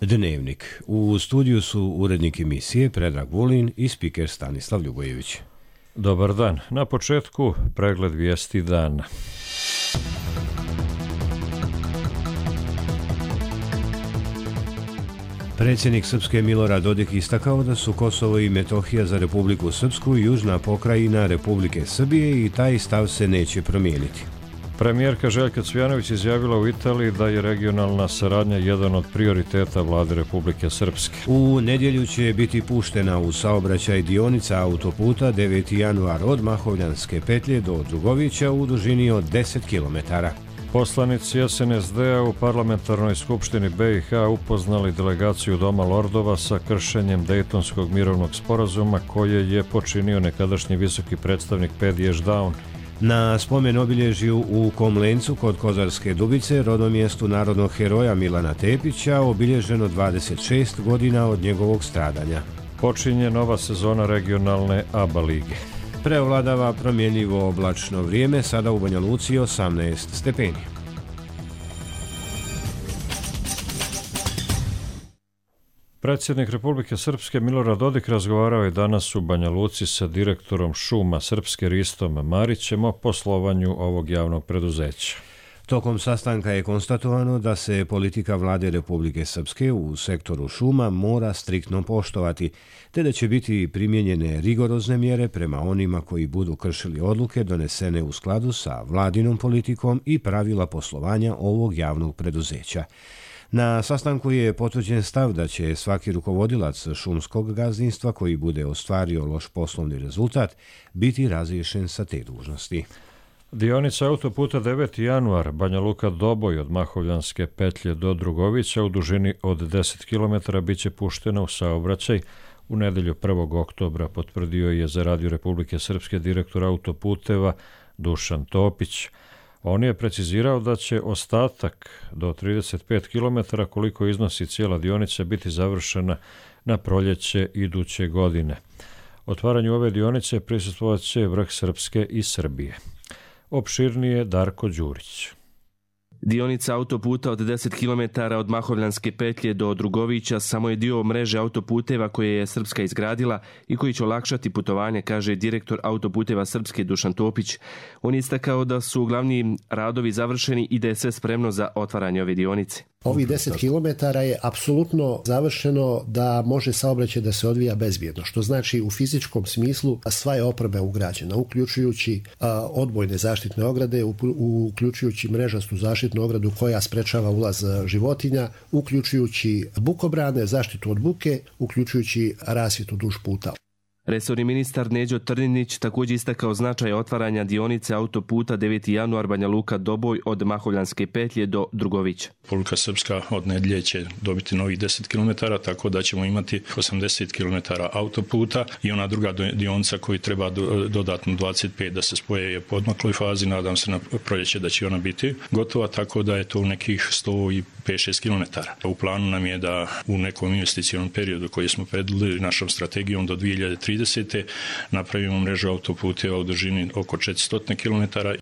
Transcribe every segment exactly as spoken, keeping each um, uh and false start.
Dnevnik. U studiju su urednik emisije Predrag Vulin i spiker Stanislav Ljubojević. Dobar dan. Na početku pregled vijesti dana. Predsjednik Srpske Milorad Dodik istakao da su Kosovo i Metohija za Republiku Srpsku i južna pokrajina Republike Srbije i taj stav se neće promijeniti. Premijerka Željka Cvijanović izjavila u Italiji da je regionalna saradnja jedan od prioriteta vlade Republike Srpske. U nedjelju će biti puštena u saobraćaj dionica autoputa deveti januar od Mahovljanske petlje do Drugovića u dužini od deset kilometara. Poslanici S N S D-a u Parlamentarnoj skupštini B i H upoznali delegaciju Doma lordova sa kršenjem Dejtonskog mirovnog sporazuma koje je počinio nekadašnji visoki predstavnik Pediš Daun. Na spomen obilježju u Komlencu kod Kozarske Dubice, rodomjestu narodnog heroja Milana Tepića, obilježeno dvadeset šest godina od njegovog stradanja. Počinje nova sezona regionalne A B A lige. Preovladava promjenljivo oblačno vrijeme, sada u Banja Luci osamnaest stepeni. Predsjednik Republike Srpske Milorad Dodik razgovarao je danas u Banja Luci sa direktorom šuma Srpske Ristom Marićem o poslovanju ovog javnog preduzeća. Tokom sastanka je konstatovano da se politika vlade Republike Srpske u sektoru šuma mora striktno poštovati, te da će biti primijenjene rigorozne mjere prema onima koji budu kršili odluke donesene u skladu sa vladinom politikom i pravila poslovanja ovog javnog preduzeća. Na sastanku je potvrđen stav da će svaki rukovodilac šumskog gazdinstva koji bude ostvario loš poslovni rezultat biti razriješen sa te dužnosti. Dionica autoputa deveti januar Banja Luka Doboj od Mahovljanske petlje do Drugovića u dužini od deset kilometara bit će puštena u saobraćaj u nedjelju prvog oktobra, potvrdio je za Radio Republike Srpske direktor autoputeva Dušan Topić. On je precizirao da će ostatak do trideset pet kilometara koliko iznosi cijela dionica biti završena na proljeće iduće godine. Otvaranju ove dionice prisustvovat će vrh Srpske i Srbije. Opširnije Darko Đurić. Dionica autoputa od deset kilometara od Mahovljanske petlje do Drugovića samo je dio mreže autoputeva koje je Srpska izgradila i koji će olakšati putovanje, kaže direktor autoputeva Srpske Dušan Topić. On je istakao da su glavni radovi završeni i da je sve spremno za otvaranje ove dionice. Ovih deset kilometara je apsolutno završeno da može saobraćaj da se odvija bezbjedno, što znači u fizičkom smislu sva je oprema ugrađena, uključujući a, odbojne zaštitne ograde, u, uključujući mrežastu zaštitnu ogradu koja sprečava ulaz životinja, uključujući bukobrane, zaštitu od buke, uključujući rasvjetu duž puta. Resorni ministar Neđo Trninić također istakao značaj otvaranja dionice autoputa deveti januar Banja Luka Doboj od Mahovljanske petlje do Drugovića. Republika Srpska od nedjelje će dobiti novih deset kilometara, tako da ćemo imati osamdeset kilometara autoputa i ona druga dionica koji treba dodatno dvadeset pet da se spoje je u podmakloj fazi, nadam se na proljeće da će ona biti gotova, tako da je to nekih sto pet šest kilometara. U planu nam je da u nekom investicionom periodu koji smo predvidjeli našom strategijom do dvije hiljade tridesete napravimo mrežu autoputeva u dužini oko četiristo kilometara.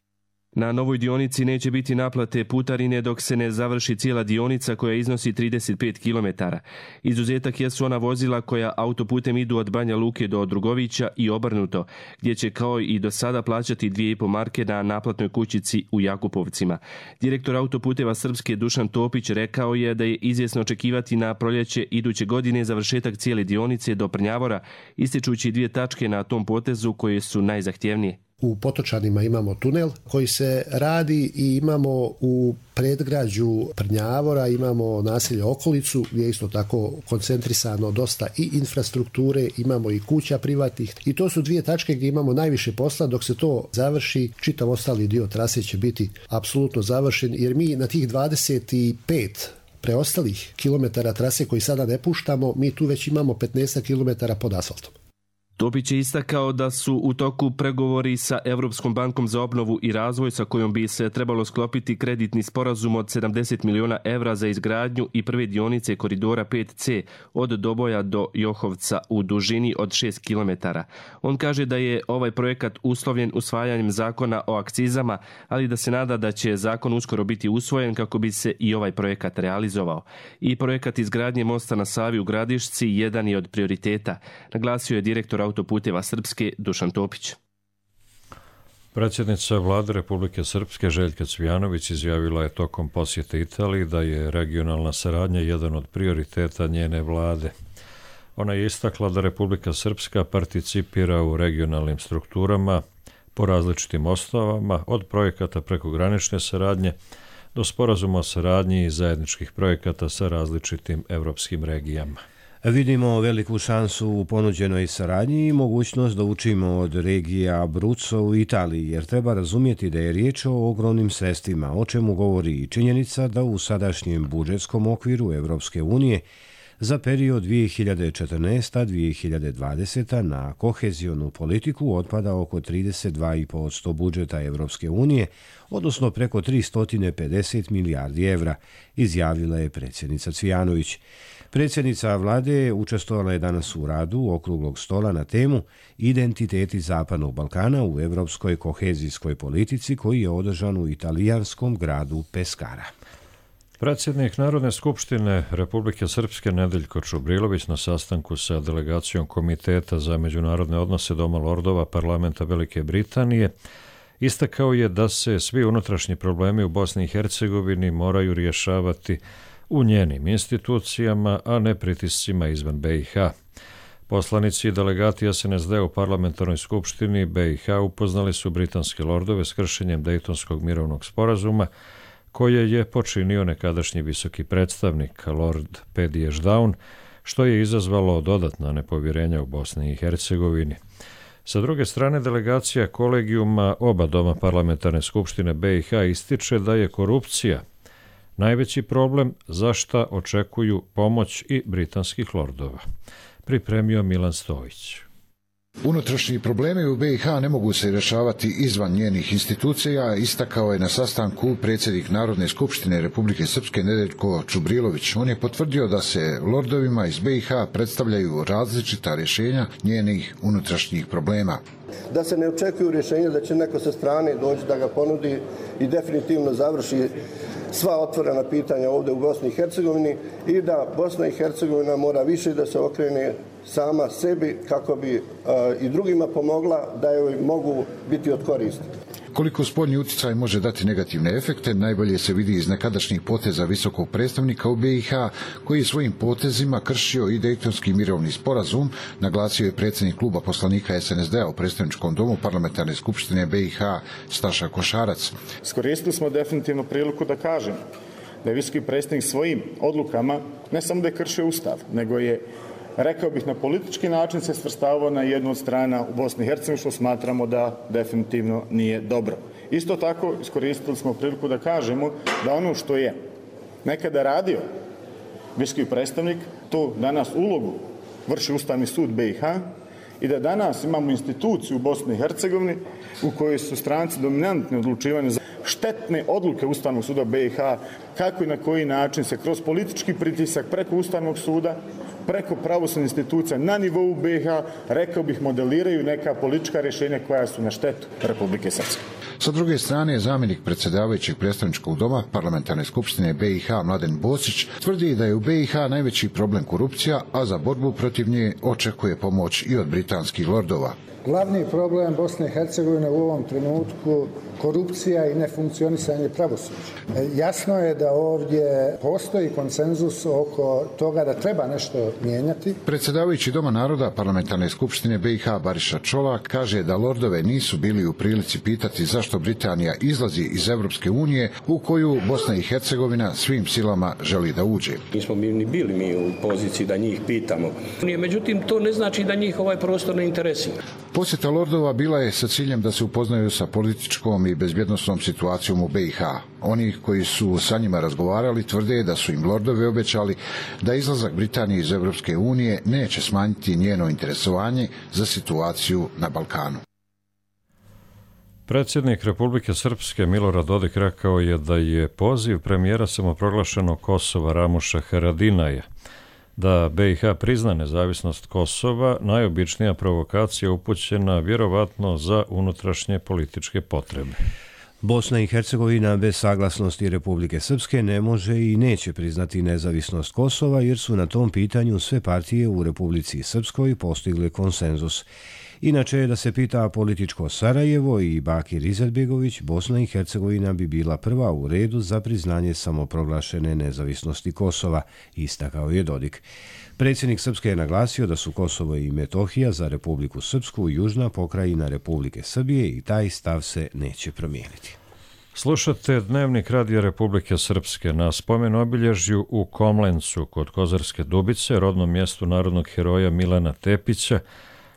Na novoj dionici neće biti naplate putarine dok se ne završi cijela dionica koja iznosi trideset pet kilometara. Izuzetak jesu ona vozila koja autoputem idu od Banja Luke do Drugovića i obrnuto, gdje će kao i do sada plaćati dvije i po marke na naplatnoj kućici u Jakupovcima. Direktor autoputeva Srpske Dušan Topić rekao je da je izvjesno očekivati na proljeće iduće godine završetak cijele dionice do Prnjavora, ističući dvije tačke na tom potezu koje su najzahtjevnije. U Potočanima imamo tunel koji se radi i imamo u predgrađu Prnjavora imamo naselje Okolicu gdje je isto tako koncentrisano dosta i infrastrukture, imamo i kuća privatnih i to su dvije tačke gdje imamo najviše posla. Dok se to završi, čitav ostali dio trase će biti apsolutno završen jer mi na tih dvadeset pet preostalih kilometara trase koji sada ne puštamo, mi tu već imamo petnaest kilometara pod asfaltom. Topić je istakao da su u toku pregovori sa Evropskom bankom za obnovu i razvoj sa kojom bi se trebalo sklopiti kreditni sporazum od sedamdeset miliona evra za izgradnju i prve dionice koridora pet ce od Doboja do Johovca u dužini od šest kilometara. On kaže da je ovaj projekat uslovljen usvajanjem zakona o akcizama, ali da se nada da će zakon uskoro biti usvojen kako bi se i ovaj projekat realizovao. I projekat izgradnje mosta na Savi u Gradišci jedan je od prioriteta, naglasio je direktor Autoputeva Srpske Dušan Topić. Predsjednica Vlade Republike Srpske Željka Cvijanović izjavila je tokom posjete Italiji da je regionalna saradnja jedan od prioriteta njene vlade. Ona je istakla da Republika Srpska participira u regionalnim strukturama po različitim osnovama, od projekata prekogranične saradnje do sporazuma o saradnji i zajedničkih projekata sa različitim evropskim regijama. Vidimo veliku šansu u ponuđenoj saradnji i mogućnost da učimo od regija Abruzzo u Italiji, jer treba razumjeti da je riječ o ogromnim sredstvima, o čemu govori i činjenica da u sadašnjem budžetskom okviru Evropske unije za period dvije hiljade četrnaeste do dvije hiljade dvadesete na kohezionu politiku otpada oko trideset dva zarez pet posto budžeta Evropske unije, odnosno preko tristo pedeset milijardi evra, izjavila je predsjednica Cvijanović. Predsjednica vlade učestvovala je danas u radu okruglog stola na temu Identiteti Zapadnog Balkana u evropskoj kohezijskoj politici koji je održan u italijanskom gradu Peskara. Predsjednik Narodne skupštine Republike Srpske Nedeljko Čubrilović na sastanku sa delegacijom Komiteta za međunarodne odnose Doma lordova Parlamenta Velike Britanije istakao je da se svi unutrašnji problemi u Bosni i Hercegovini moraju rješavati u njenim institucijama, a ne pritiscima izvan be i ha. Poslanici i delegati es en es de u Parlamentarnoj skupštini be i ha upoznali su britanske lordove s kršenjem Dejtonskog mirovnog sporazuma, koje je počinio nekadašnji visoki predstavnik Lord Pedi Ešdaun, što je izazvalo dodatna nepovjerenja u Bosni i Hercegovini. Sa druge strane, delegacija kolegijuma oba doma Parlamentarne skupštine be i ha ističe da je korupcija najveći problem za šta očekuju pomoć i britanskih lordova. Pripremio Milan Stojić. Unutrašnji problemi u be i ha ne mogu se rješavati izvan njenih institucija, istakao je na sastanku predsjednik Narodne skupštine Republike Srpske Nedeljko Čubrilović. On je potvrdio da se lordovima iz be i ha predstavljaju različita rješenja njenih unutrašnjih problema. Da se ne očekuju rješenja da će neko sa strane doći da ga ponudi i definitivno završi sva otvorena pitanja ovdje u Bosni i Hercegovini i da Bosna i Hercegovina mora više da se okrene sama sebi kako bi a, i drugima pomogla da joj mogu biti od koristi. Koliko spoljni utjecaj može dati negativne efekte, najbolje se vidi iz nekadašnjih poteza visokog predstavnika u be i ha, koji je svojim potezima kršio i Dejtonski mirovni sporazum, naglasio je predsjednik kluba poslanika es en es de-a u predstavničkom domu Parlamentarne skupštine be i ha Staša Košarac. Iskoristili smo definitivno priliku da kažem da je visoki predstavnik svojim odlukama ne samo da je kršio Ustav, nego je, rekao bih, na politički način se svrstavao na jednu od strana u Bosni i Hercegovini, što smatramo da definitivno nije dobro. Isto tako iskoristili smo priliku da kažemo da ono što je nekada radio visoki predstavnik, to danas ulogu vrši Ustavni sud be i ha i da danas imamo instituciju u Bosni i Hercegovini u kojoj su stranci dominantni odlučivanje za štetne odluke Ustavnog suda be i ha, kako i na koji način se kroz politički pritisak preko Ustavnog suda, preko pravosudnih institucija na nivou be i ha, rekao bih, modeliraju neka politička rješenja koja su na štetu Republike Srpske. Sa druge strane, zamjenik predsjedavajućeg predstavničkog doma Parlamentarne skupštine be i ha Mladen Bosić tvrdi da je u be i ha najveći problem korupcija, a za borbu protiv nje očekuje pomoć i od britanskih lordova. Glavni problem Bosne i Hercegovine u ovom trenutku korupcija i nefunkcionisanje pravosuđa. Jasno je da ovdje postoji konsenzus oko toga da treba nešto mijenjati. Predsjedavajući Doma naroda Parlamentarne skupštine be i ha Bariša Čolak kaže da lordove nisu bili u prilici pitati zašto Britanija izlazi iz Evropske unije u koju Bosna i Hercegovina svim silama želi da uđe. Nismo ni bili mi u poziciji da njih pitamo. Međutim, to ne znači da njih ovaj prostor ne interesira. Posjeta lordova bila je sa ciljem da se upoznaju sa političkom i bezbjednosnom situacijom u B i H. Oni koji su sa njima razgovarali tvrde da su im lordovi obećali da izlazak Britanije iz Europske unije neće smanjiti njeno interesovanje za situaciju na Balkanu. Predsjednik Republike Srpske Milorad Dodik rekao je da je poziv premijera samoproglašenog Kosova Ramuša Haradinaja da B i H prizna nezavisnost Kosova najobičnija provokacija upućena vjerovatno za unutrašnje političke potrebe. Bosna i Hercegovina bez saglasnosti Republike Srpske ne može i neće priznati nezavisnost Kosova jer su na tom pitanju sve partije u Republici Srpskoj postigle konsenzus. Inače, da se pita političko Sarajevo i Bakir Izetbegović, Bosna i Hercegovina bi bila prva u redu za priznanje samoproglašene nezavisnosti Kosova, istakao je Dodik. Predsjednik Srpske je naglasio da su Kosovo i Metohija za Republiku Srpsku južna pokrajina Republike Srbije i taj stav se neće promijeniti. Slušate Dnevnik Radija Republike Srpske. Na spomen obilježju u Komlencu kod Kozarske Dubice, rodnom mjestu narodnog heroja Milana Tepića,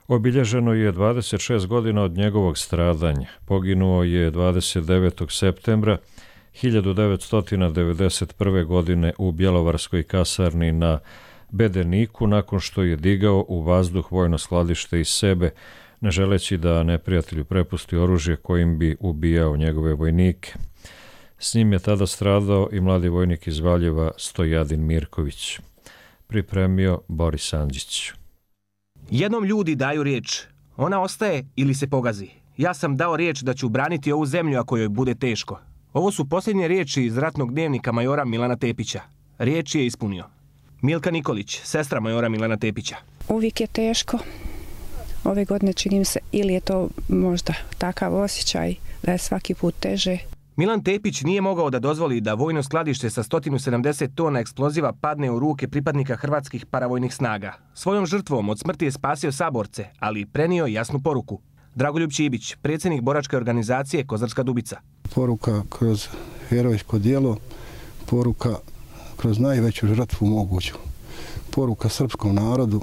obilježeno je dvadeset šest godina od njegovog stradanja. Poginuo je dvadeset devetog septembra hiljadu devetsto devedeset prve. godine u Bjelovarskoj kasarni na Bedeniku nakon što je digao u vazduh vojno skladište iz sebe, ne želeći da neprijatelju prepusti oružje kojim bi ubijao njegove vojnike. S njim je tada stradao i mladi vojnik iz Valjeva Stojadin Mirković. Pripremio Boris Andžić. Jednom ljudi daju riječ. Ona ostaje ili se pogazi. Ja sam dao riječ da ću braniti ovu zemlju ako joj bude teško. Ovo su posljednje riječi iz ratnog dnevnika majora Milana Tepića. Riječ je ispunio. Milka Nikolić, sestra majora Milana Tepića. Uvijek je teško. Ove godine čini mi se, ili je to možda takav osjećaj da je svaki put teže. Milan Tepić nije mogao da dozvoli da vojno skladište sa sto sedamdeset tona eksploziva padne u ruke pripadnika hrvatskih paravojnih snaga. Svojom žrtvom od smrti je spasio saborce, ali prenio jasnu poruku. Dragoljub Čibić, predsjednik boračke organizacije Kozarska Dubica. Poruka kroz herojsko djelo, poruka kroz najveću žrtvu moguću. Poruka srpskom narodu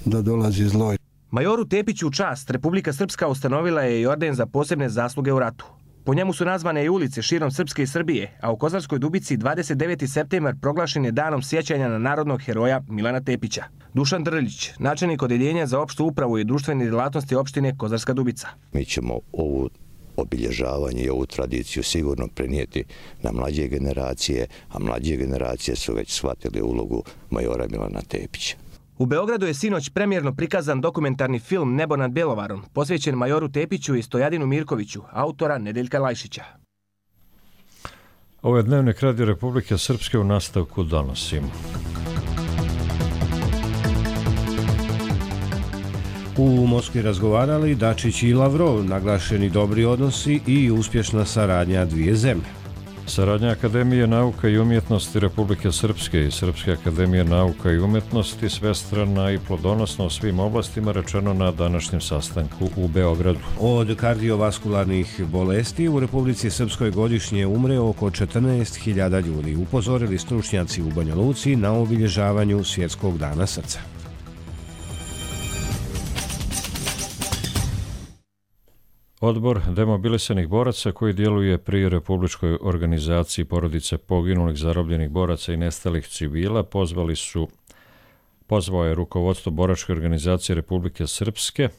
da dolazi zlo. Majoru Tepiću u čast Republika Srpska ustanovila je i orden za posebne zasluge u ratu. Po njemu su nazvane i ulice širom Srpske i Srbije, a u Kozarskoj Dubici dvadeset deveti septembar proglašen je danom sjećanja na narodnog heroja Milana Tepića. Dušan Drljić, načelnik odeljenja za opštu upravu i društvene djelatnosti opštine Kozarska Dubica. Mi ćemo ovu obilježavanje i ovu tradiciju sigurno prenijeti na mlađe generacije, a mlađe generacije su već shvatili ulogu majora Milana Tepića. U Beogradu je sinoć premijerno prikazan dokumentarni film Nebo nad Bjelovarom, posvećen majoru Tepiću i Stojadinu Mirkoviću, autora Nedeljka Lajšića. Ovo je Dnevnik Radija Republike Srpske, u nastavku donosimo. U Moskvi razgovarali Dačić i Lavrov, naglašeni dobri odnosi i uspješna saradnja dvije zemlje. Saradnja Akademije nauka i umjetnosti Republike Srpske i Srpske akademije nauka i umjetnosti svestrana i plodonosna u svim oblastima, rečeno na današnjem sastanku u Beogradu. Od kardiovaskularnih bolesti u Republici Srpskoj godišnje umre oko četrnaest hiljada ljudi, upozorili stručnjaci u Banja Luci na obilježavanju Svjetskog dana srca. Odbor demobilisanih boraca koji djeluje pri Republičkoj organizaciji porodice poginulih, zarobljenih boraca i nestalih civila pozvali su, pozvao je rukovodstvo boračke organizacije Republike Srpske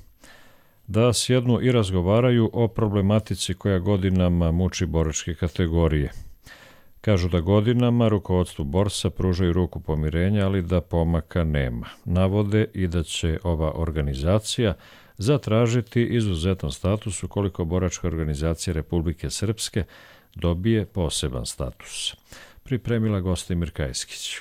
da sjednu i razgovaraju o problematici koja godinama muči boračke kategorije. Kažu da godinama rukovodstvu borsa pružaju ruku pomirenja, ali da pomaka nema. Navode i da će ova organizacija zatražiti izuzetan status ukoliko boračka organizacija Republike Srpske dobije poseban status. Pripremila Gostimir Kajskić.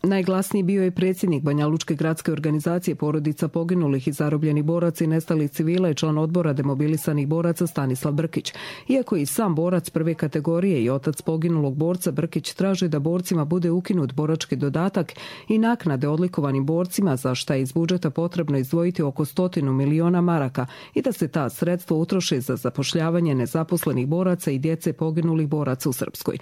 Najglasniji bio je predsjednik Banja Lučke gradske organizacije porodica poginulih i zarobljenih boraca i nestalih civila i član odbora demobilisanih boraca Stanislav Brkić. Iako je i sam borac prve kategorije i otac poginulog borca, Brkić traži da borcima bude ukinut borački dodatak i naknade odlikovanim borcima, za šta je iz budžeta potrebno izdvojiti oko stotinu miliona maraka i da se ta sredstva utroše za zapošljavanje nezaposlenih boraca i djece poginulih boraca u Srpskoj.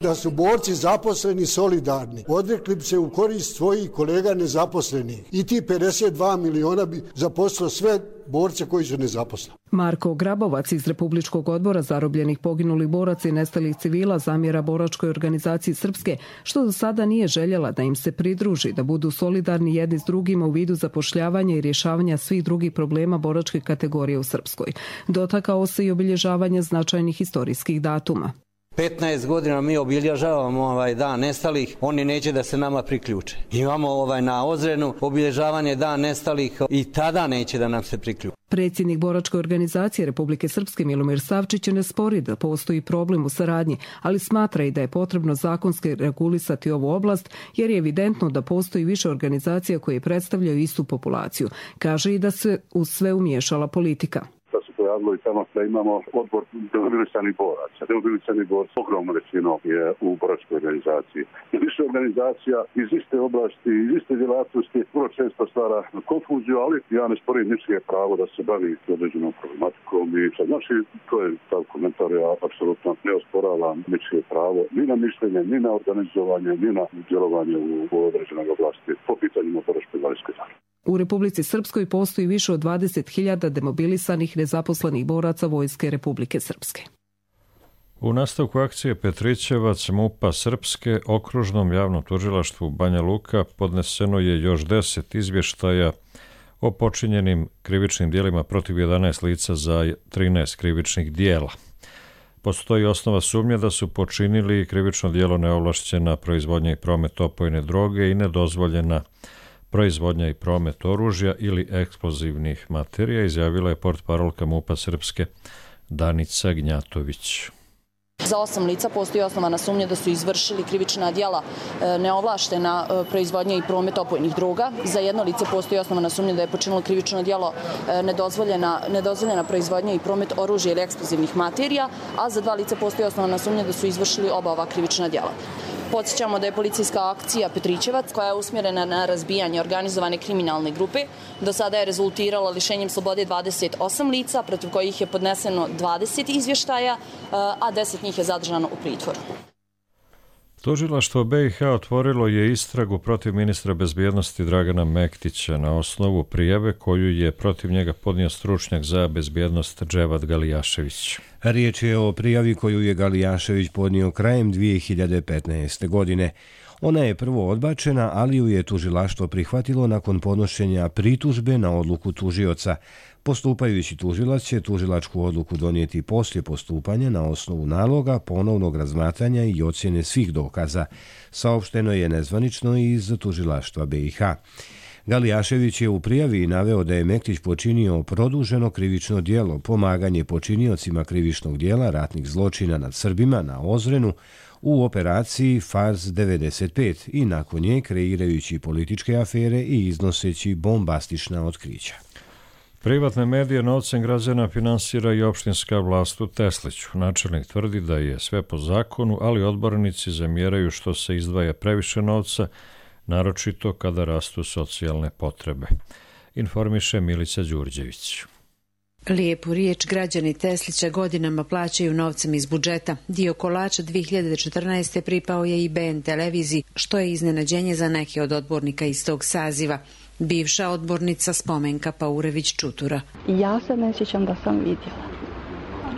Da su borci zaposleni solidarni, odrekli bi se u korist svojih kolega nezaposlenih i ti pedeset dva miliona bi zaposlilo sve borce koji su nezaposleni. Marko Grabovac iz Republičkog odbora zarobljenih poginulih boraca i nestalih civila zamjera boračkoj organizaciji Srpske, što do sada nije željela da im se pridruži, da budu solidarni jedni s drugima u vidu zapošljavanja i rješavanja svih drugih problema boračke kategorije u Srpskoj. Dotakao se i obilježavanja značajnih historijskih datuma. petnaest godina mi obilježavamo ovaj dan nestalih, oni neće da se nama priključe. Imamo ovaj na Ozrenu obilježavanje dan nestalih i tada neće da nam se priključe. Predsjednik boračke organizacije Republike Srpske Milomir Savčić ne spori da postoji problem u saradnji, ali smatra i da je potrebno zakonski regulisati ovu oblast jer je evidentno da postoji više organizacija koje predstavljaju istu populaciju. Kaže i da se u sve umiješala politika. Pojavilo i tamo da imamo odbor demobilisanih boraca. Demobilisani borci ogromno većino je u boračkoj organizaciji. I više organizacija iz iste oblasti, iz iste djelatnosti vrlo često stvara konfuziju, ali ja ne sporim ničije pravo da se bavi određenom problematikom. I znači, to je taj komentar, ja apsolutno ne osporavam ničije pravo ni na mišljenje, ni na organizovanje, ni na djelovanje u određenoj oblasti po pitanjima boračko-invalidske zaštite. U Republici Srpskoj postoji više od dvadeset hiljada demobilisanih nezaposlenih boraca Vojske Republike Srpske. U nastavku akcije Petrićevac MUP-a Srpske okružnom javnom tužilaštvu Banja Luka podneseno je još deset izvještaja o počinjenim krivičnim dijelima protiv jedanaest lica za trinaest krivičnih dijela. Postoji osnova sumnje da su počinili krivično djelo neovlašćena proizvodnja i promet opojne droge i nedozvoljena proizvodnja i promet oružja ili eksplozivnih materija, izjavila je portparolka MUP-a Srpske Danica Gnjatović. Za osam lica postoji osnovana sumnja da su izvršili krivična djela neovlaštena proizvodnja i promet opojnih droga. Za jedno lice postoji osnovana sumnja da je počinilo krivično djelo nedozvoljena, nedozvoljena proizvodnja i promet oružja ili eksplozivnih materija, a za dva lica postoji osnovana sumnja da su izvršili oba ova krivična djela. Podsjećamo da je policijska akcija Petrićevac, koja je usmjerena na razbijanje organizovane kriminalne grupe, do sada je rezultirala lišenjem slobode dvadeset osam lica, protiv kojih je podneseno dvadeset izvještaja, a deset njih je zadržano u pritvoru. Tužilaštvo B i H otvorilo je istragu protiv ministra bezbjednosti Dragana Mektića na osnovu prijave koju je protiv njega podnio stručnjak za bezbjednost Dževad Galijašević. Riječ je o prijavi koju je Galijašević podnio krajem dvije hiljade petnaeste. godine. Ona je prvo odbačena, ali ju je tužilaštvo prihvatilo nakon podnošenja pritužbe na odluku tužioca. Postupajući tužilac će tužilačku odluku donijeti poslije postupanja na osnovu naloga, ponovnog razmatranja i ocjene svih dokaza. Saopšteno je nezvanično iz tužilaštva B i H. Galijašević je u prijavi naveo da je Mektić počinio produženo krivično djelo, pomaganje počiniocima krivičnog djela ratnih zločina nad Srbima na Ozrenu u operaciji Fars devedeset pet i nakon nje kreirajući političke afere i iznoseći bombastična otkrića. Privatne medije novcem građana finansira i opštinska vlast u Tesliću. Načelnik tvrdi da je sve po zakonu, ali odbornici zamjeraju što se izdvaja previše novca, naročito kada rastu socijalne potrebe. Informiše Milica Đurđević. Lijepu riječ građani Teslića godinama plaćaju novcem iz budžeta. Dio kolača dvije hiljade četrnaeste. pripao je i B N televiziji, što je iznenađenje za neke od odbornika iz tog saziva. Bivša odbornica Spomenka Paurević-Čutura. Ja se ne sjećam da sam vidjela.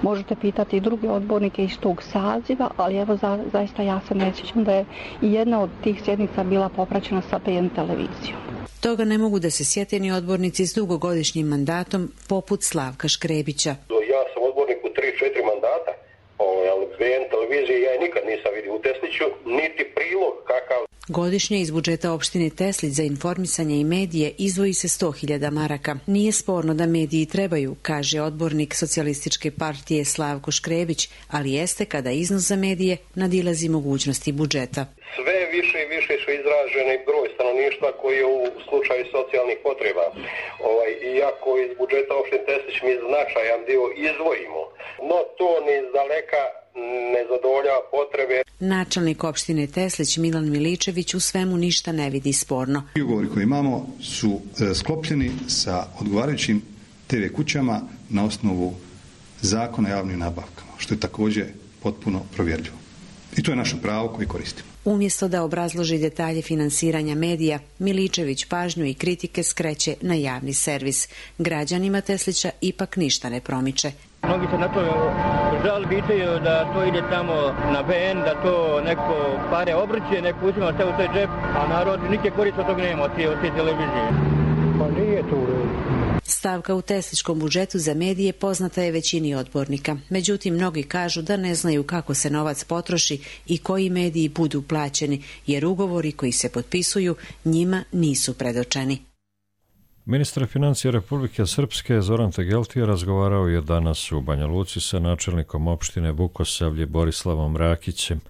Možete pitati i druge odbornike iz tog saziva, ali evo za, zaista ja se ne sjećam da je i jedna od tih sjednica bila popraćena sa B N televizijom. Toga ne mogu da se sjete ni odbornici s dugogodišnjim mandatom, poput Slavka Škrebića. Ja sam odbornik u tri četiri mandata, ali B N televizije ja nikad nisam vidio u Tesliću, niti prilog kakav. Godišnje iz budžeta opštine Teslić za informisanje i medije izdvoji se sto hiljada maraka. Nije sporno da mediji trebaju, kaže odbornik Socijalističke partije Slavko Škrebić, ali jeste kada iznos za medije nadilazi mogućnosti budžeta. Sve više i više su izraženi broj stanovništva koji je u slučaju socijalnih potreba. Ovaj, iako iz budžeta opštine Teslić mi značajan dio izdvojimo, no to ni iz daleka ne zadovoljava potrebe. Načelnik opštine Teslić Milan Miličević u svemu ništa ne vidi sporno. Ugovori koje imamo su sklopljeni sa odgovarajućim te ve kućama na osnovu zakona o javnim nabavkama, što je također potpuno provjerljivo. I to je naše pravo koje koristimo. Umjesto da obrazloži detalje finansiranja medija, Miličević pažnju i kritike skreće na javni servis. Građanima Teslića ipak ništa ne promiče. Mnogi se na to žali, pitaju da to ide tamo na B N, da to neko pare obrće, neko uzima sve u taj džep, a narod nikje korist od tog nema, od te televizije. Pa nije to u redu. Stavka u Tesličkom budžetu za medije poznata je većini odbornika. Međutim, mnogi kažu da ne znaju kako se novac potroši i koji mediji budu plaćeni, jer ugovori koji se potpisuju njima nisu predočeni. Ministar financija Republike Srpske Zoran Tegeltija razgovarao je danas u Banja Luci sa načelnikom opštine Vukosavlje Borislavom Rakićem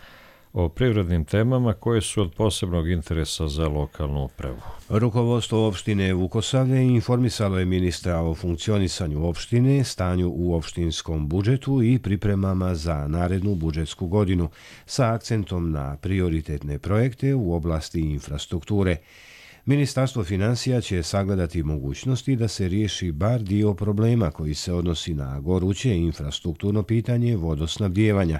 o privrednim temama koje su od posebnog interesa za lokalnu upravu. Rukovodstvo opštine Vukosavlje informisalo je ministra o funkcionisanju opštine, stanju u opštinskom budžetu i pripremama za narednu budžetsku godinu sa akcentom na prioritetne projekte u oblasti infrastrukture. Ministarstvo financija će sagledati mogućnosti da se riješi bar dio problema koji se odnosi na goruće infrastrukturno pitanje vodosnabdijevanja,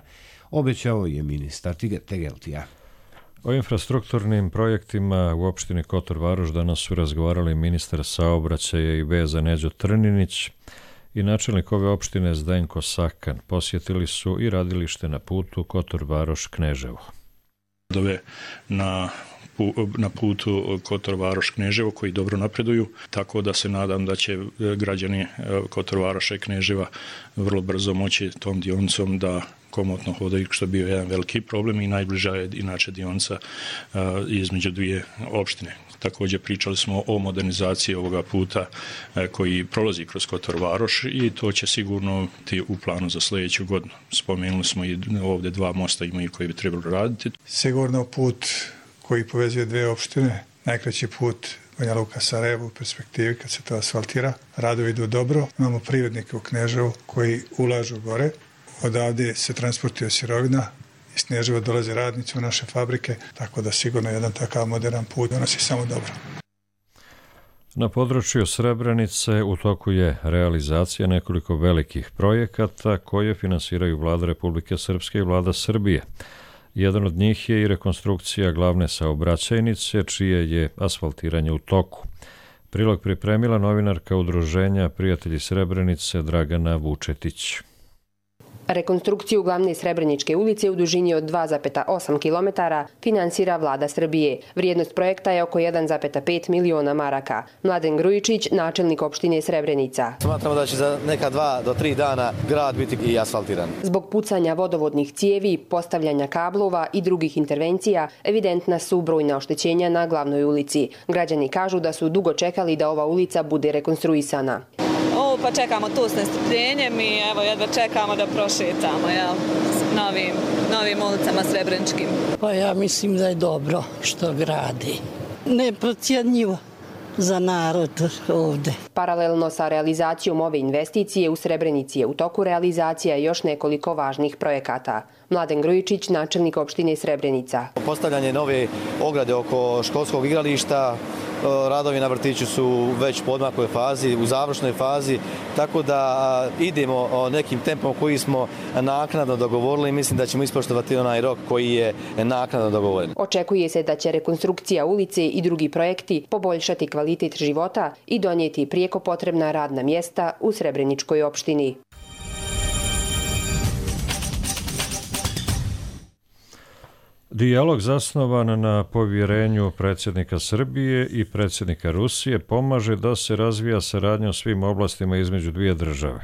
obećao je ministar Tegeltija. O infrastrukturnim projektima u opštini Kotor Varoš danas su razgovarali ministar saobraćaja i veza Neđo Trninić i načelnik ove opštine Zdenko Sakan. Posjetili su i radilište na putu Kotor Varoš Kneževo. Dove na na putu Kotor Varoš Kneževo koji dobro napreduju, tako da se nadam da će građani Kotor Varoša i Kneževa vrlo brzo moći tom dionicom da komotno hodaju, što je bio jedan veliki problem i najbliža je inače dionica između dvije opštine. Također pričali smo o modernizaciji ovoga puta koji prolazi kroz Kotor Varoš i to će sigurno ti u planu za sljedeću godinu. Spomenuli smo i ovdje dva mosta imaju koji bi trebalo raditi. Sigurno put koji povezuje dve opštine, najkraći put Banja Luka Sarajevo u perspektivi kad se to asfaltira. Radovi idu dobro, imamo privrednike u Kneževu koji ulažu gore, odavde se transportuje sirovina, iz Kneževa dolaze radnici u naše fabrike, tako da sigurno jedan takav modern put donosi samo dobro. Na području Srebrenice u toku je realizacija nekoliko velikih projekata koje finansiraju Vlada Republike Srpske i Vlada Srbije. Jedan od njih je i rekonstrukcija glavne saobraćajnice, čije je asfaltiranje u toku. Prilog pripremila novinarka udruženja Prijatelji Srebrenice Dragana Vučetić. Rekonstrukciju glavne Srebreničke ulice u dužini od dva zarez osam kilometara finansira Vlada Srbije. Vrijednost projekta je oko jedan zarez pet miliona maraka. Mladen Grujičić, načelnik opštine Srebrenica. Smatramo da će za neka dva do tri dana grad biti i asfaltiran. Zbog pucanja vodovodnih cijevi, postavljanja kablova i drugih intervencija, evidentna su brojna oštećenja na glavnoj ulici. Građani kažu da su dugo čekali da ova ulica bude rekonstruisana. O, pa čekamo tu s nestrpljenjem i evo jedva čekamo da prošetamo jel, s novim, novim ulicama Srebreničkim. Pa ja mislim da je dobro što gradi. Neprocjenjivo za narod ovde. Paralelno sa realizacijom ove investicije u Srebrenici je u toku realizacija još nekoliko važnih projekata. Mladen Grujičić, načelnik opštine Srebrenica. Postavljanje nove ograde oko školskog igrališta, radovi na vrtiću su već u podmakloj fazi, u završnoj fazi, tako da idemo nekim tempom koji smo naknadno dogovorili i mislim da ćemo ispoštovati onaj rok koji je naknadno dogovoren. Očekuje se da će rekonstrukcija ulice i drugi projekti poboljšati kvalitet života i donijeti prijeko potrebna radna mjesta u Srebreničkoj opštini. Dijalog zasnovan na povjerenju predsjednika Srbije i predsjednika Rusije pomaže da se razvija saradnja u svim oblastima između dvije države.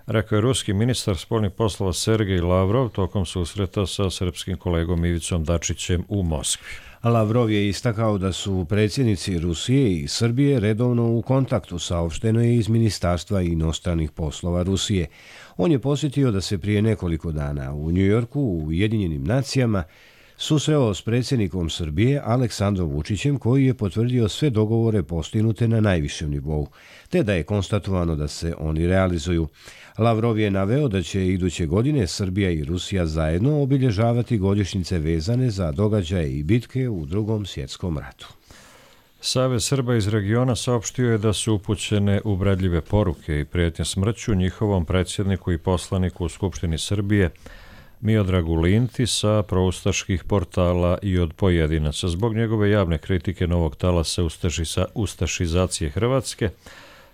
Rekao je ruski ministar spoljnih poslova Sergej Lavrov tokom susreta sa srpskim kolegom Ivicom Dačićem u Moskvi. Lavrov je istakao da su predsjednici Rusije i Srbije redovno u kontaktu, saopšteno je iz Ministarstva inostranih poslova Rusije. On je posjetio da se prije nekoliko dana u Njujorku u Ujedinjenim nacijama susreo s predsjednikom Srbije Aleksandrom Vučićem, koji je potvrdio sve dogovore postignute na najvišem nivou, te da je konstatovano da se oni realizuju. Lavrov je naveo da će iduće godine Srbija i Rusija zajedno obilježavati godišnjice vezane za događaje i bitke u Drugom svjetskom ratu. Savez Srba iz regiona saopštio je da su upućene uvredljive poruke i prijetnje smrću njihovom predsjedniku i poslaniku u Skupštini Srbije Miodragu Linti sa proustaških portala i od pojedinaca zbog njegove javne kritike novog talasa ustašizacije Hrvatske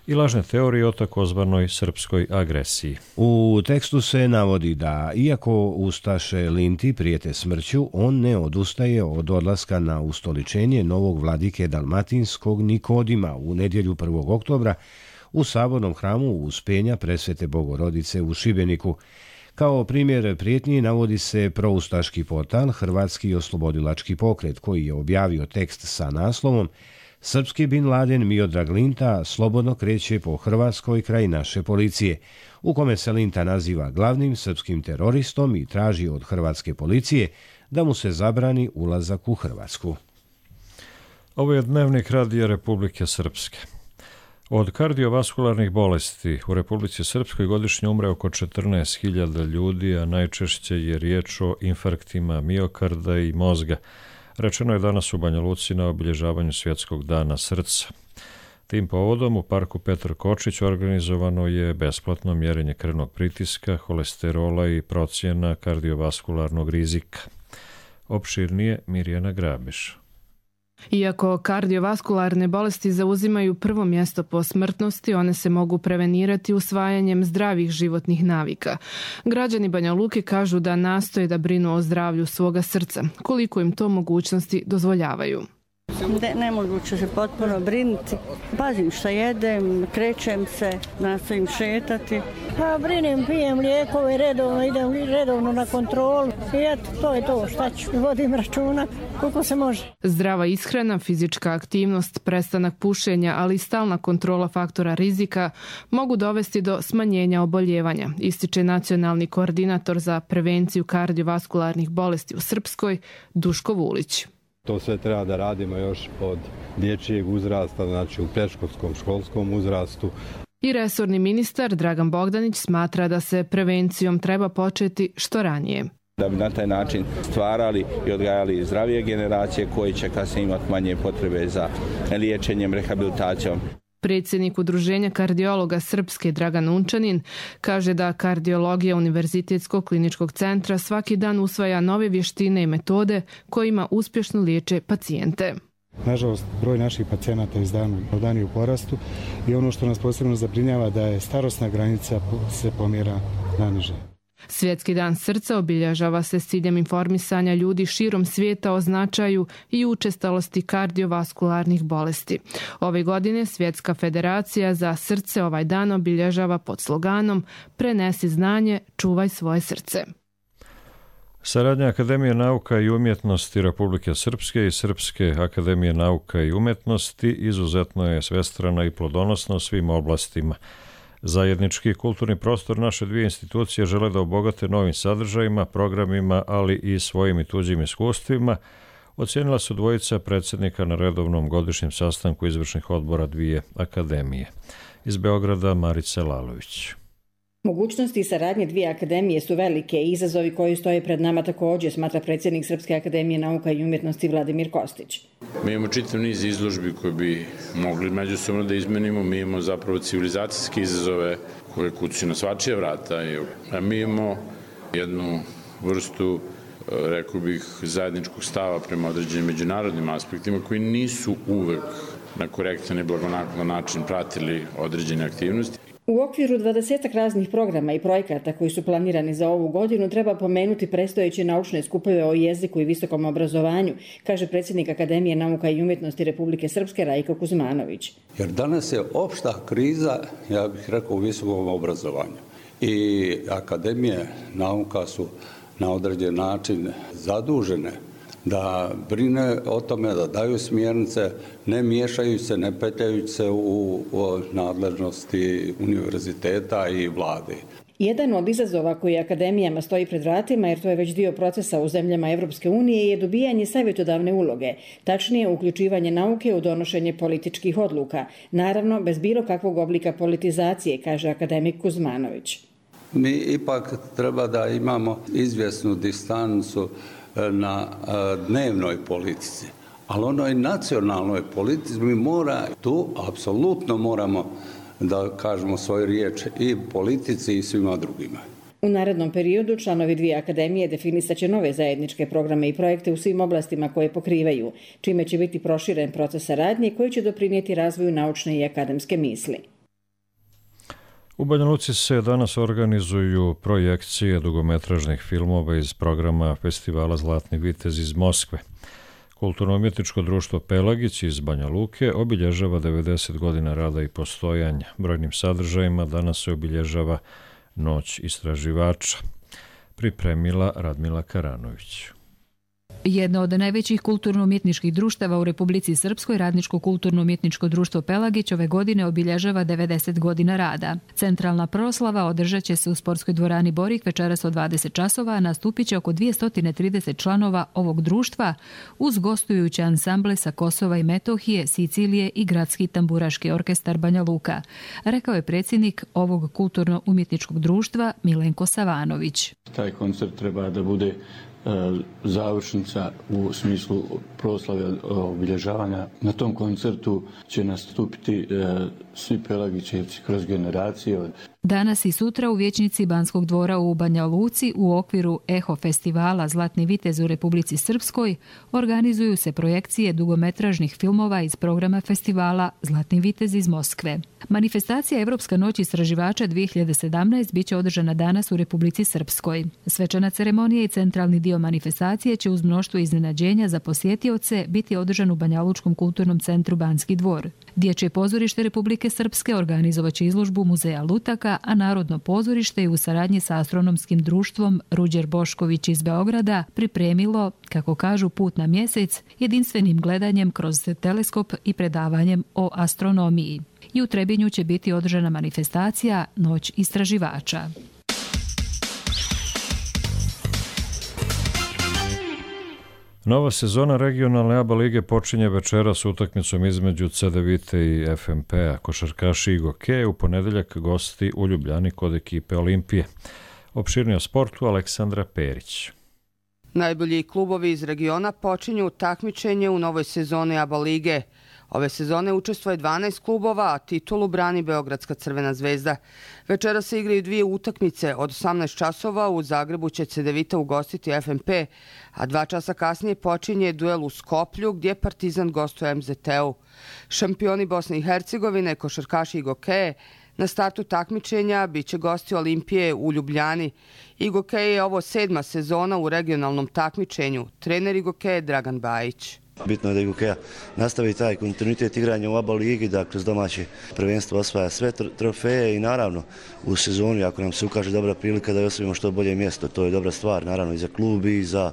i lažne teorije o takozvanoj srpskoj agresiji. U tekstu se navodi da, iako ustaše Linti prijete smrću, on ne odustaje od odlaska na ustoličenje novog vladike Dalmatinskog Nikodima u nedjelju prvog oktobra u Sabornom hramu Uspenja Presvete Bogorodice u Šibeniku. Kao primjer prijetnji navodi se proustaški portal Hrvatski oslobodilački pokret, koji je objavio tekst sa naslovom Srpski Bin Laden Miodrag Linta slobodno kreće po Hrvatskoj kraj naše policije, u kome se Linta naziva glavnim srpskim teroristom i traži od hrvatske policije da mu se zabrani ulazak u Hrvatsku. Ovo je dnevnik Radija Republike Srpske. Od kardiovaskularnih bolesti u Republici Srpskoj godišnje umre oko četrnaest hiljada ljudi, a najčešće je riječ o infarktima miokarda i mozga. Rečeno je danas u Banja Luci na obilježavanju Svjetskog dana srca. Tim povodom u parku Petar Kočić organizovano je besplatno mjerenje krvnog pritiska, holesterola i procjena kardiovaskularnog rizika. Opširnije Mirjana Grabiš. Iako kardiovaskularne bolesti zauzimaju prvo mjesto po smrtnosti, one se mogu prevenirati usvajanjem zdravih životnih navika. Građani Banja Luke kažu da nastoje da brinu o zdravlju svoga srca, koliko im to mogućnosti dozvoljavaju. Ne, nemoguće se potpuno brinuti. Pazim što jedem, krećem se, nastojim šetati. Pa brinem, pijem lijekove, redovno idem redovno na kontrolu. I eto, to je to, šta ću, vodim računa koliko se može. Zdrava ishrana, fizička aktivnost, prestanak pušenja, ali i stalna kontrola faktora rizika mogu dovesti do smanjenja oboljevanja, ističe nacionalni koordinator za prevenciju kardiovaskularnih bolesti u Srpskoj, Duško Vulić. To sve treba da radimo još od dječjeg uzrasta, znači u predškolskom, školskom uzrastu. I resorni ministar Dragan Bogdanić smatra da se prevencijom treba početi što ranije. Da bi na taj način stvarali i odgajali zdravije generacije koje će kasnije imati manje potrebe za liječenjem, rehabilitacijom. Predsjednik Udruženja kardiologa Srpske Dragan Unčanin kaže da kardiologija Univerzitetskog kliničkog centra svaki dan usvaja nove vještine i metode kojima uspješno liječe pacijente. Nažalost, broj naših pacijenata iz dana u dan je u porastu i ono što nas posebno zabrinjava da je starosna granica se pomjera naniže. Svjetski dan srca obilježava se s ciljem informisanja ljudi širom svijeta o značaju i učestalosti kardiovaskularnih bolesti. Ove godine Svjetska federacija za srce ovaj dan obilježava pod sloganom Prenesi znanje, čuvaj svoje srce. Saradnja Akademije nauka i umjetnosti Republike Srpske i Srpske akademije nauka i umjetnosti izuzetno je svestrana i plodonosna u svim oblastima. Zajednički kulturni prostor naše dvije institucije žele da obogate novim sadržajima, programima, ali i svojim i tuđim iskustvima, ocijenila su dvojica predsjednika na redovnom godišnjem sastanku izvršnih odbora dvije akademije. Iz Beograda Marica Lalović. Mogućnosti saradnje dvije akademije su velike i izazovi koji stoje pred nama također, smatra predsjednik Srpske akademije nauka i umjetnosti Vladimir Kostić. Mi imamo čitav niz izložbi koje bi mogli međusobno da izmenimo. Mi imamo zapravo civilizacijske izazove koje kuću na svačija vrata. A mi imamo jednu vrstu, rekao bih, zajedničkog stava prema određenim međunarodnim aspektima koji nisu uvek na korektan i blagonaklonan način pratili određene aktivnosti. U okviru dvadesetak raznih programa i projekata koji su planirani za ovu godinu treba pomenuti predstojeće naučne skupove o jeziku i visokom obrazovanju, kaže predsjednik Akademije nauka i umjetnosti Republike Srpske Rajko Kuzmanović. Jer danas je opšta kriza, ja bih rekao, u visokom obrazovanju. I akademije nauka su na određen način zadužene da brine o tome, da daju smjernice, ne miješajući se, ne petljajući se u, u nadležnosti univerziteta i vlade. Jedan od izazova koji akademijama stoji pred vratima, jer to je već dio procesa u zemljama Evropske unije, je dobijanje savjetodavne uloge, tačnije uključivanje nauke u donošenje političkih odluka, naravno bez bilo kakvog oblika politizacije, kaže akademik Kuzmanović. Mi ipak treba da imamo izvjesnu distancu na dnevnoj politici, ali onoj nacionalnoj politici mi mora, tu apsolutno moramo da kažemo svoju riječ i politici i svima drugima. U narednom periodu članovi dvije akademije definisaće nove zajedničke programe i projekte u svim oblastima koje pokrivaju, čime će biti proširen proces saradnje koji će doprinijeti razvoju naučne i akademske misli. U Banja Luci se danas organizuju projekcije dugometražnih filmova iz programa Festivala Zlatni vitez iz Moskve. Kulturno-umjetničko društvo Pelagić iz Banja Luke obilježava devedeset godina rada i postojanja. Brojnim sadržajima danas se obilježava Noć istraživača. Pripremila Radmila Karanović. Jedno od najvećih kulturno-umjetničkih društava u Republici Srpskoj, Radničko kulturno-umjetničko društvo Pelagić, ove godine obilježava devedeset godina rada. Centralna proslava održat će se u sportskoj dvorani Borik večeras od dvadeset časova, a nastupit će oko dvjesto trideset članova ovog društva uz gostujuće ansamble sa Kosova i Metohije, Sicilije i Gradski tamburaški orkestar Banja Luka, rekao je predsjednik ovog kulturno-umjetničkog društva Milenko Savanović. Taj koncert treba da bude završnica u smislu proslave obilježavanja. Na tom koncertu će nastupiti svi Pelagićevci kroz generacije. Danas i sutra u vijećnici Banskog dvora u Banja Luci u okviru Eho festivala Zlatni vitez u Republici Srpskoj organizuju se projekcije dugometražnih filmova iz programa festivala Zlatni vitez iz Moskve. Manifestacija Evropska noć istraživača dvije hiljade sedamnaest biće održana danas u Republici Srpskoj. Svečana ceremonija i centralni dio manifestacije će uz mnoštvo iznenađenja za posjetioce biti održan u Banja Lučkom kulturnom centru Banski dvor. Dječje pozorište Republike Srpske organizovaće izložbu Muzeja lutaka, a Narodno pozorište je u saradnji sa astronomskim društvom Ruđer Bošković iz Beograda pripremilo, kako kažu, put na mjesec jedinstvenim gledanjem kroz teleskop i predavanjem o astronomiji. I u Trebinju će biti održana manifestacija Noć istraživača. Nova sezona regionalne A B A lige počinje večeras s utakmicom između Cedevite i F M P-a. Košarkaši i Goke u ponedeljak gosti u Ljubljani kod ekipe Olimpije. Opširnije o sportu Aleksandra Perić. Najbolji klubovi iz regiona počinju takmičenje u novoj sezoni A B A lige. Ove sezone učestvuje dvanaest klubova, a titulu brani Beogradska Crvena zvezda. Večera se igraju dvije utakmice. Od osamnaest časova u Zagrebu će Cedevita ugostiti F M P, a dva časa kasnije počinje duel u Skoplju gdje Partizan gostuje M Z T-u. Šampioni Bosne i Hercegovine, košarkaši i Gokeje, na startu takmičenja bit će gosti Olimpije u Ljubljani. I Gokeje je ovo sedma sezona u regionalnom takmičenju. Trener i Gokeje Dragan Bajić. Bitno je da Gokeja nastavi taj kontinuitet igranja u A B A ligi, da kroz domaće prvenstvo osvaja sve trofeje i naravno u sezoni ako nam se ukaže dobra prilika da osvojimo što bolje mjesto. To je dobra stvar naravno i za klub i za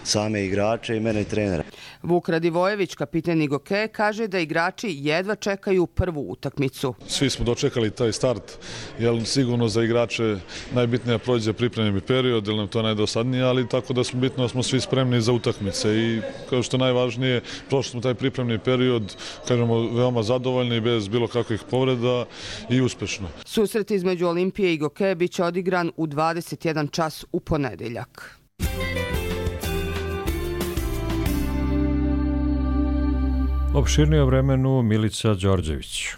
same igrače i mene i trenera. Vuk Radivojević, kapiten Gokeje, kaže da igrači jedva čekaju prvu utakmicu. Svi smo dočekali taj start, jer sigurno za igrače najbitnije prođe pripremljeni period, jer nam to najdosadnije, ali tako da smo bitno da smo svi spremni za utakmice i kao što najvažnije, prošli smo taj pripremni period, kažemo, veoma zadovoljni, bez bilo kakvih povreda i uspešno. Susret između Olimpije i Gokeje biće odigran u dvadeset jedan čas u ponedeljak. Opširnije o vremenu Milica Đorđević.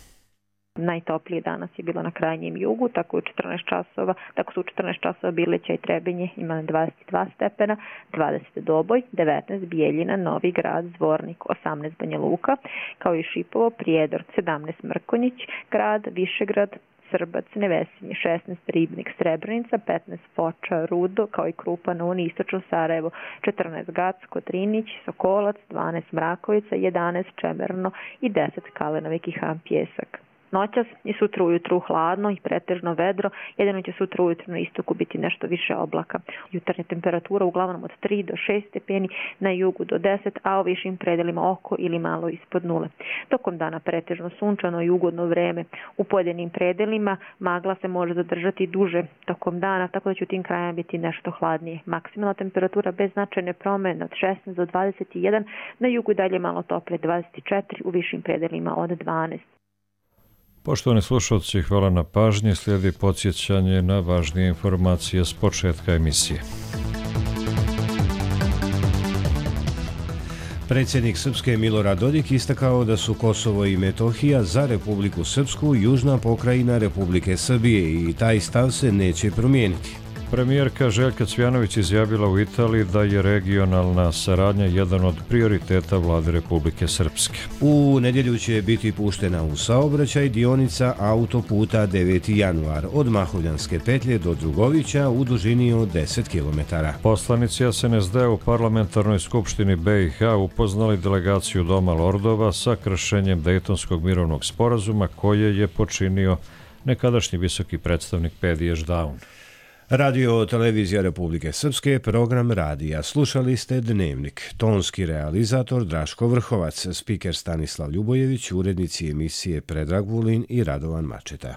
Najtoplije danas je bilo na krajnjem jugu, tako u četrnaest časova, tako su u četrnaest časova Bileća i Trebinje imali dvadeset dva stepena, dvadeset Doboj, devetnaest Bijeljina, Novi Grad, Zvornik, osamnaest Banja Luka, kao i Šipovo, Prijedor, sedamnaest Mrkonjić, Grad, Višegrad, Srbac, Nevesinje, šesnaest Ribnik, Srebrenica, petnaest Foča, Rudo, kao i Krupa na Uni, Istočno Sarajevo, četrnaest Gac, Kotrinić, Sokolac, dvanaest Mrakovica, jedanaest Čemerno i deset Kalenovik i Han Pjesak. Noćas i sutra ujutru hladno i pretežno vedro, jedino će sutra ujutru na istoku biti nešto više oblaka. Jutarnja temperatura uglavnom od tri do šest stepeni, na jugu do deset, a u višim predelima oko ili malo ispod nule. Tokom dana pretežno sunčano i ugodno vreme. U pojedinim predelima magla se može zadržati duže tokom dana, tako da će u tim krajima biti nešto hladnije. Maksimalna temperatura bez značajne promjene od šesnaest do dvadeset jedan, na jugu dalje malo tople dvadeset četiri, u višim predelima od dvanaest. Poštovani slušalci, hvala na pažnji. Slijedi podsjećanje na važnije informacije s početka emisije. Predsjednik Srpske Milorad Dodik istakao da su Kosovo i Metohija za Republiku Srpsku južna pokrajina Republike Srbije i taj stav se neće promijeniti. Premijerka Željka Cvjanović izjavila u Italiji da je regionalna saradnja jedan od prioriteta vlade Republike Srpske. U nedjelju će biti puštena u saobraćaj dionica autoputa deveti januar od Mahovljanske petlje do Drugovića u dužini od deset kilometara. Poslanici S N S D u Parlamentarnoj skupštini B i H upoznali delegaciju Doma lordova sa kršenjem Dejtonskog mirovnog sporazuma koje je počinio nekadašnji visoki predstavnik Pediš Daun. Radio televizija Republike Srpske, program radija. Slušali ste Dnevnik. Tonski realizator Draško Vrhovac, spiker Stanislav Ljubojević, urednici emisije Predrag Vulin i Radovan Mačeta.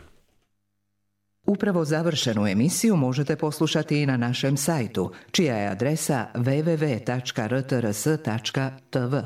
Upravo završenu emisiju možete poslušati i na našem sajtu, čija je adresa w w w tačka r t r s tačka t v.